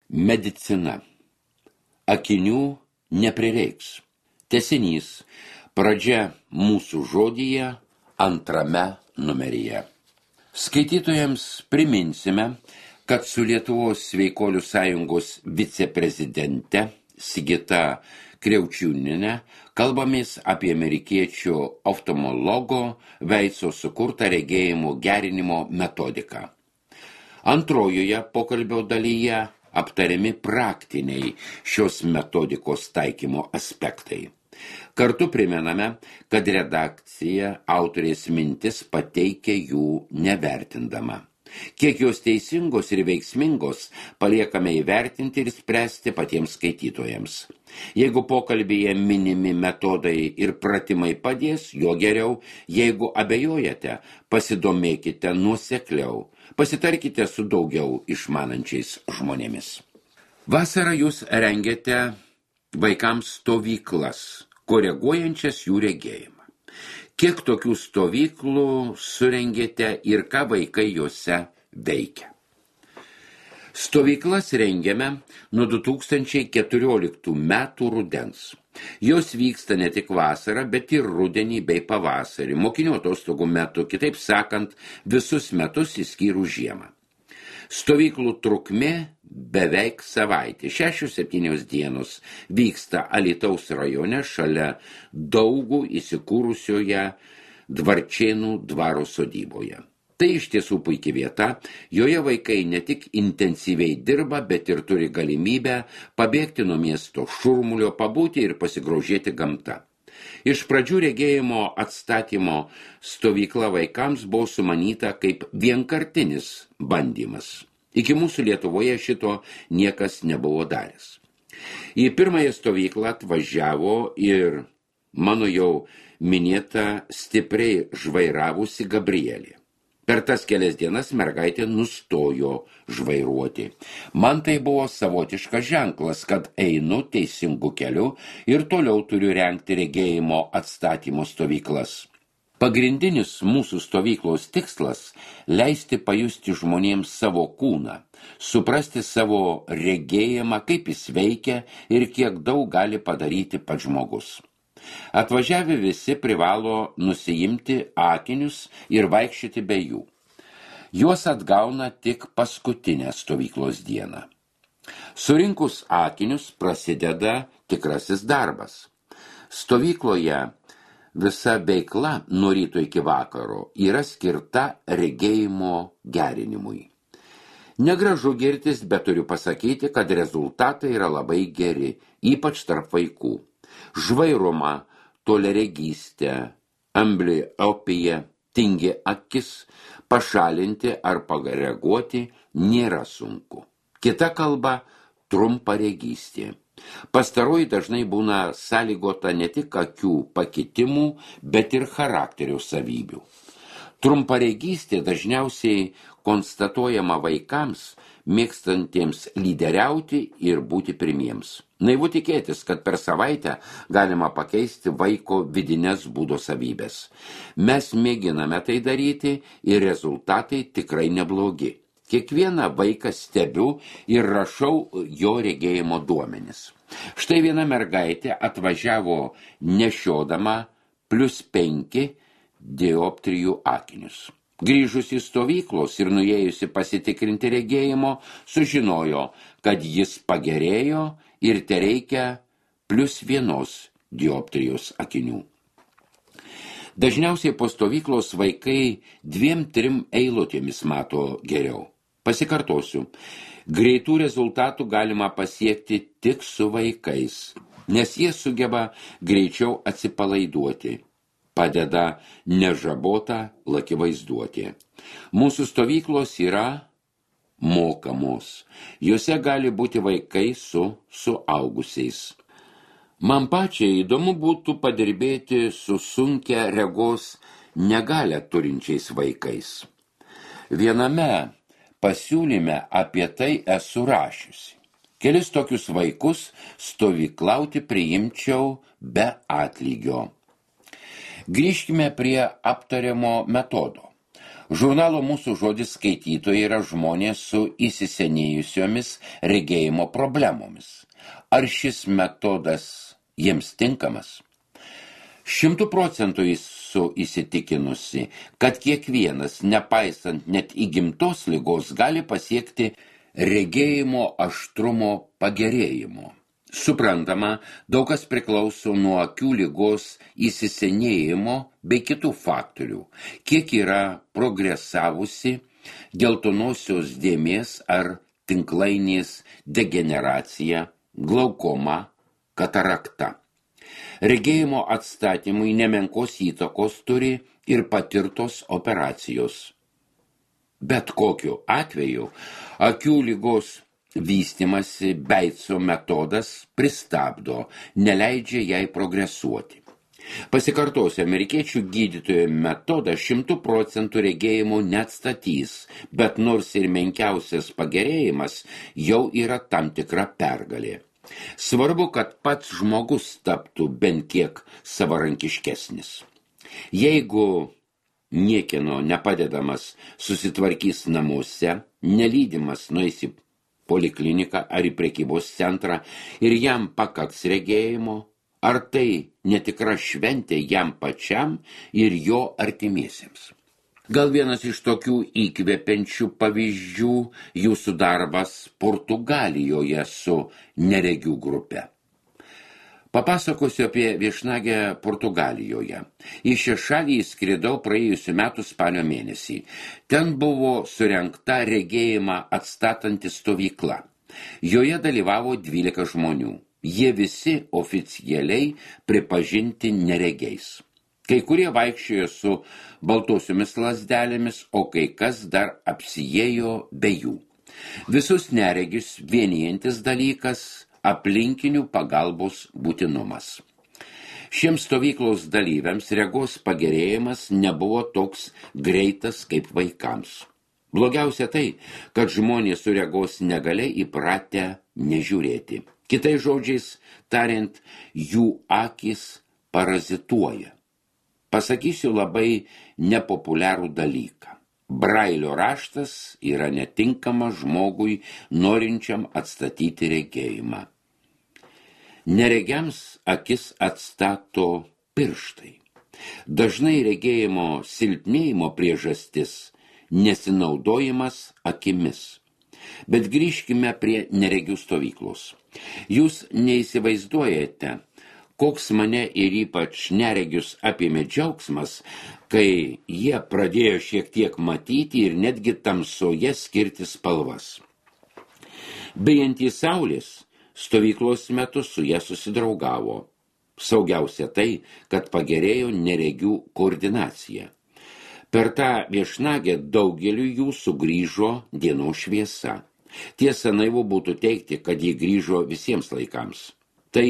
Medicina. Akinių neprireiks. Tęsinys. Pradžia mūsų žodyje, antrame numeryje. Skaitytojams priminsime, kad su Lietuvos sveikolių sąjungos viceprezidente Sigita Kriaučiūniene kalbamės apie amerikiečių oftalmologo Veico sukurtą regėjimo gerinimo metodiką. Antrojoje pokalbio dalyje aptariami praktiniai šios metodikos taikymo aspektai. Kartu primename, kad redakcija autorės mintis pateikia jų nevertindama. Kiek jos teisingos ir veiksmingos paliekame įvertinti ir spręsti patiems skaitytojams. Jeigu pokalbyje minimi metodai ir pratimai padės, jo geriau. Jeigu abejojate, pasidomėkite nuosekliau. Pasitarkite su daugiau išmanančiais žmonėmis. Vasarą jūs rengiate vaikams stovyklas, koreguojančias jų regėjimą. Kiek tokių stovyklų surengėte ir ką vaikai juose veikia? Stovyklas rengiame nuo 2014 metų rudens. Jos vyksta ne tik vasarą, bet ir rudenį bei pavasarį, mokinių atostogų metu, kitaip sakant, visus metus išskyrus žiemą. Stovyklų trukmė beveik savaitė, 6-7 dienos, vyksta Alytaus rajone šalia Daugų įsikūrusioje Dvarčėnų dvaro sodyboje. Tai iš tiesų puikia vieta, joje vaikai ne tik intensyviai dirba, bet ir turi galimybę pabėgti nuo miesto šurmulio, pabūti ir pasigrožėti gamta. Iš pradžių regėjimo atstatymo stovykla vaikams buvo sumanyta kaip vienkartinis bandymas. Iki mūsų Lietuvoje šito niekas nebuvo daręs. Į pirmąją stovyklą atvažiavo ir mano jau minėta stipriai žvairavusi Gabrielė. Per tas kelias dienas mergaitė nustojo žvairuoti. Man tai buvo savotiškas ženklas, kad einu teisingu keliu ir toliau turiu rengti regėjimo atstatymo stovyklas. Pagrindinis mūsų stovyklos tikslas – leisti pajusti žmonėms savo kūną, suprasti savo regėjimą, kaip jis veikia ir kiek daug gali padaryti pats žmogus. Atvažiavę visi privalo nusiimti akinius ir vaikščioti be jų. Juos atgauna tik paskutinę stovyklos dieną. Surinkus akinius prasideda tikrasis darbas. Stovykloje visa veikla nuo ryto iki vakaro yra skirta regėjimo gerinimui. Negražu girtis, bet turiu pasakyti, kad rezultatai yra labai geri, ypač tarp vaikų. Žvairumą, toliaregystę, ambliopiją, tingi akis, pašalinti ar pakoreguoti nėra sunku. Kita kalba – trumparegystė. Pastaroji dažnai būna sąlygota ne tik akių pakitimų, bet ir charakterio savybių. Trumparegystė dažniausiai konstatuojama vaikams, mėgstantiems lyderiauti ir būti pirmiems. Naivu tikėtis, kad per savaitę galima pakeisti vaiko vidines būdo savybės. Mes mėginame tai daryti ir rezultatai tikrai neblogi. Kiekvieną vaiką stebiu ir rašau jo regėjimo duomenis. Štai viena mergaitė atvažiavo nešiodama +5 dioptrijų akinius. Grįžus į stovyklos ir nuėjusi pasitikrinti regėjimo, sužinojo, kad jis pagerėjo ir tereikia +1 dioptrijos akinių. Dažniausiai po stovyklos vaikai 2-3 eilutėmis mato geriau. Pasikartosiu, greitų rezultatų galima pasiekti tik su vaikais, nes jie sugeba greičiau atsipalaiduoti. Padeda nežabota laki vaizduotė. Mūsų stovyklos yra mokamos. Jose gali būti vaikai su suaugusiais. Man pačiai įdomu būtų padirbėti su sunkia regos negalią turinčiais vaikais. Viename pasiūlyme apie tai esu rašiusi. Kelis tokius vaikus stovyklauti priimčiau be atlygio. Grįžkime prie aptariamo metodo. Žurnalo Mūsų žodis skaitytojai yra žmonės su įsisenėjusiomis regėjimo problemomis. Ar šis metodas jiems tinkamas? 100% esu įsitikinusi, kad kiekvienas, nepaisant net įgimtos ligos, gali pasiekti regėjimo aštrumo pagerėjimo. Suprantama, daug kas priklauso nuo akių ligos įsisenėjimo bei kitų faktorių, kiek yra progresavusi geltonosios dėmės ar tinklainės degeneracija, glaukoma, katarakta. Regėjimo atstatymui nemenkos įtakos turi ir patirtos operacijos. Bet kokiu atveju akių ligos vystymasi Beitso metodas pristabdo, neleidžia jai progresuoti. Pasikartosiu, amerikiečių gydytojo metodas 100% regėjimo neatstatys, bet nors ir menkiausias pagerėjimas jau yra tam tikra pergalė. Svarbu, kad pats žmogus taptų bent kiek savarankiškesnis. Jeigu niekieno nepadedamas susitvarkys namuose, nelydimas nueis į polikliniką ar į prekybos centrą ir jam pakaks regėjimo, ar tai netikra šventė jam pačiam ir jo artimiesiems. Gal vienas iš tokių įkvepiančių pavyzdžių jūsų darbas Portugalijoje su neregių grupe. Papasakosiu apie viešnagę Portugalijoje. Į šią šalį įskridau praėjusių metų spalio mėnesį. Ten buvo surengta regėjimą atstatanti stovykla. Joje dalyvavo 12 žmonių. Jie visi oficialiai pripažinti neregiais. Kai kurie vaikščiojo su baltosiomis lazdelėmis, o kai kas dar apsiėjo be jų. Visus neregius vienijantis dalykas – aplinkinių pagalbos būtinumas. Šiems stovyklos dalyviams regos pagerėjimas nebuvo toks greitas kaip vaikams. Blogiausia tai, kad žmonės su regos negalia įpratę nežiūrėti. Kitais žodžiais tariant, jų akys parazituoja. Pasakysiu labai nepopuliarų dalyką. Brailio raštas yra netinkamas žmogui norinčiam atstatyti regėjimą. Neregiams akis atstato pirštai. Dažnai regėjimo silpnėjimo priežastis nesinaudojimas akimis. Bet grįžkime prie neregių stovyklos. Jūs neįsivaizduojate, koks mane ir ypač neregius apėmė džiaugsmas, kai jie pradėjo šiek tiek matyti ir netgi tamsoje skirti spalvas. Bijantys saulės, stovyklos metu su jie susidraugavo. Saugiausia tai, kad pagerėjo neregių koordinacija. Per tą viešnagę daugeliu jų sugrįžo dienos šviesa. Tiesa, naivu būtų teigti, kad ji grįžo visiems laikams. Tai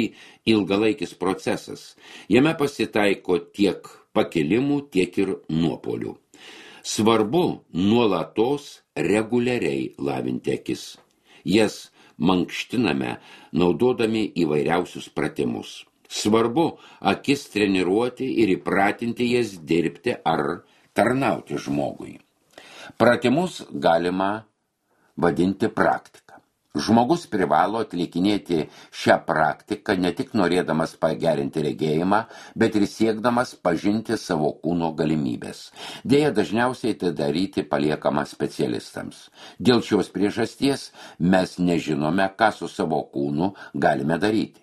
ilgalaikis procesas. Jame pasitaiko tiek pakilimų, tiek ir nuopolių. Svarbu nuolatos reguliariai lavinti akis. Jas mankštiname, naudodami įvairiausius pratimus. Svarbu akis treniruoti ir įpratinti jas dirbti ar tarnauti žmogui. Pratimus galima vadinti praktika. Žmogus privalo atlikinėti šią praktiką ne tik norėdamas pagerinti regėjimą, bet ir siekdamas pažinti savo kūno galimybės. Deja, dažniausiai tai daryti paliekama specialistams. Dėl šios priežasties mes nežinome, ką su savo kūnu galime daryti.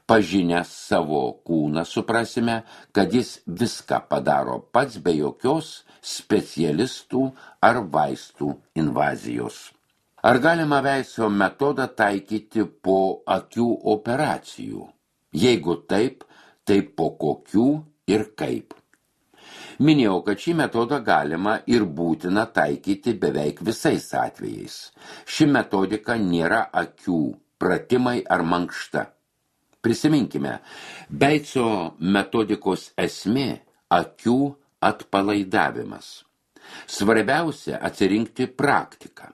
Pažinę savo kūną suprasime, kad jis viską padaro pats be jokios specialistų ar vaistų invazijos. Ar galima Veiso metodą taikyti po akių operacijų? Jeigu taip, tai po kokių ir kaip? Minėjau, kad šį metodą galima ir būtina taikyti beveik visais atvejais. Ši metodika nėra akių pratimai ar mankšta. Prisiminkime, Beico metodikos esmė – akių atpalaidavimas. Svarbiausia atsirinkti praktiką.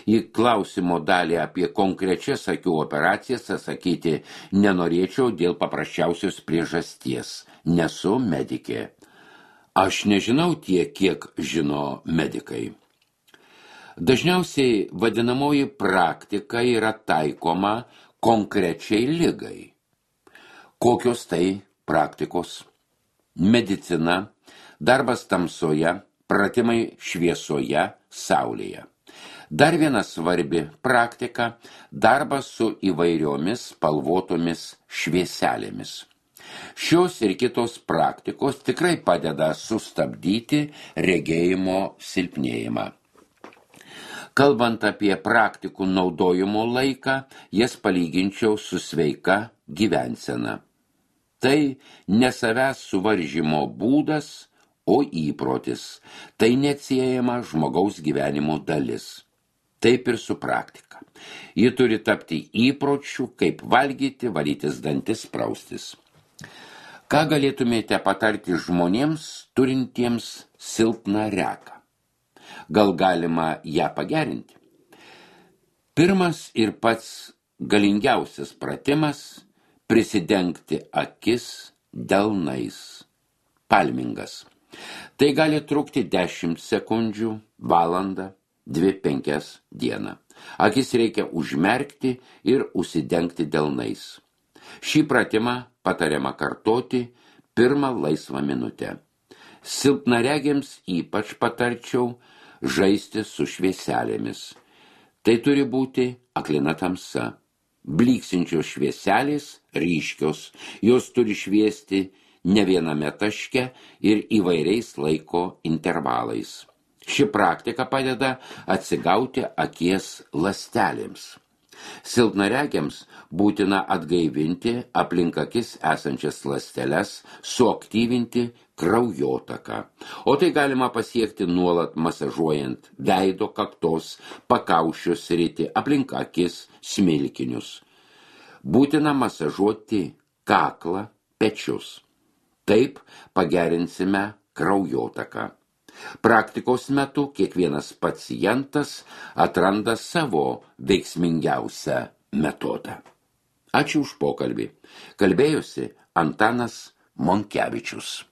Į klausimo dalį apie konkrečias akių operacijas atsakyti nenorėčiau dėl paprasčiausios priežasties. Nesu medikė. Aš nežinau tiek, kiek žino medikai. Dažniausiai vadinamoji praktika yra taikoma konkrečiai ligai. Kokios tai praktikos? Medicina, darbas tamsoje, pratimai šviesoje, saulėje. Dar viena svarbi praktika – darbas su įvairiomis spalvotomis švieselėmis. Šios ir kitos praktikos tikrai padeda sustabdyti regėjimo silpnėjimą. Kalbant apie praktikų naudojimo laiką, jas palyginčiau su sveika gyvensena. Tai ne savęs suvaržymo būdas, o įprotis. Tai neatsiejama žmogaus gyvenimo dalis. Taip ir su praktika. Ji turi tapti įpročiu, kaip valgyti, valytis dantis, praustis. Ką galėtumėte patarti žmonėms, turintiems silpną regą? Gal galima ją pagerinti? Pirmas ir pats galingiausias pratimas – prisidengti akis delnais. Palmingas. Tai gali trukti 10 sekundžių, valandą, 2-5 dieną. Akis reikia užmerkti ir užsidengti delnais. Šį pratimą patariama kartoti pirmą laisvą minutę. Silpnaregiams ypač patarčiau žaisti su švieselėmis. Tai turi būti aklina tamsa. Bliksinčios švieselės ryškios, jos turi šviesti ne viename taške ir įvairiais laiko intervalais. Ši praktika padeda atsigauti akies ląstelėms. Silpnaregiams būtina atgaivinti aplink akis esančias ląsteles, suaktyvinti kraujotaką. O tai galima pasiekti nuolat masažuojant veido, kaktos, pakaušio sritį, aplink akis, smilkinius. Būtina masažuoti kaklą, pečius. Taip pagerinsime kraujotaką. Praktikos metu kiekvienas pacientas atranda savo veiksmingiausią metodą. Ačiū už pokalbį. Kalbėjosi Antanas Monkevičius.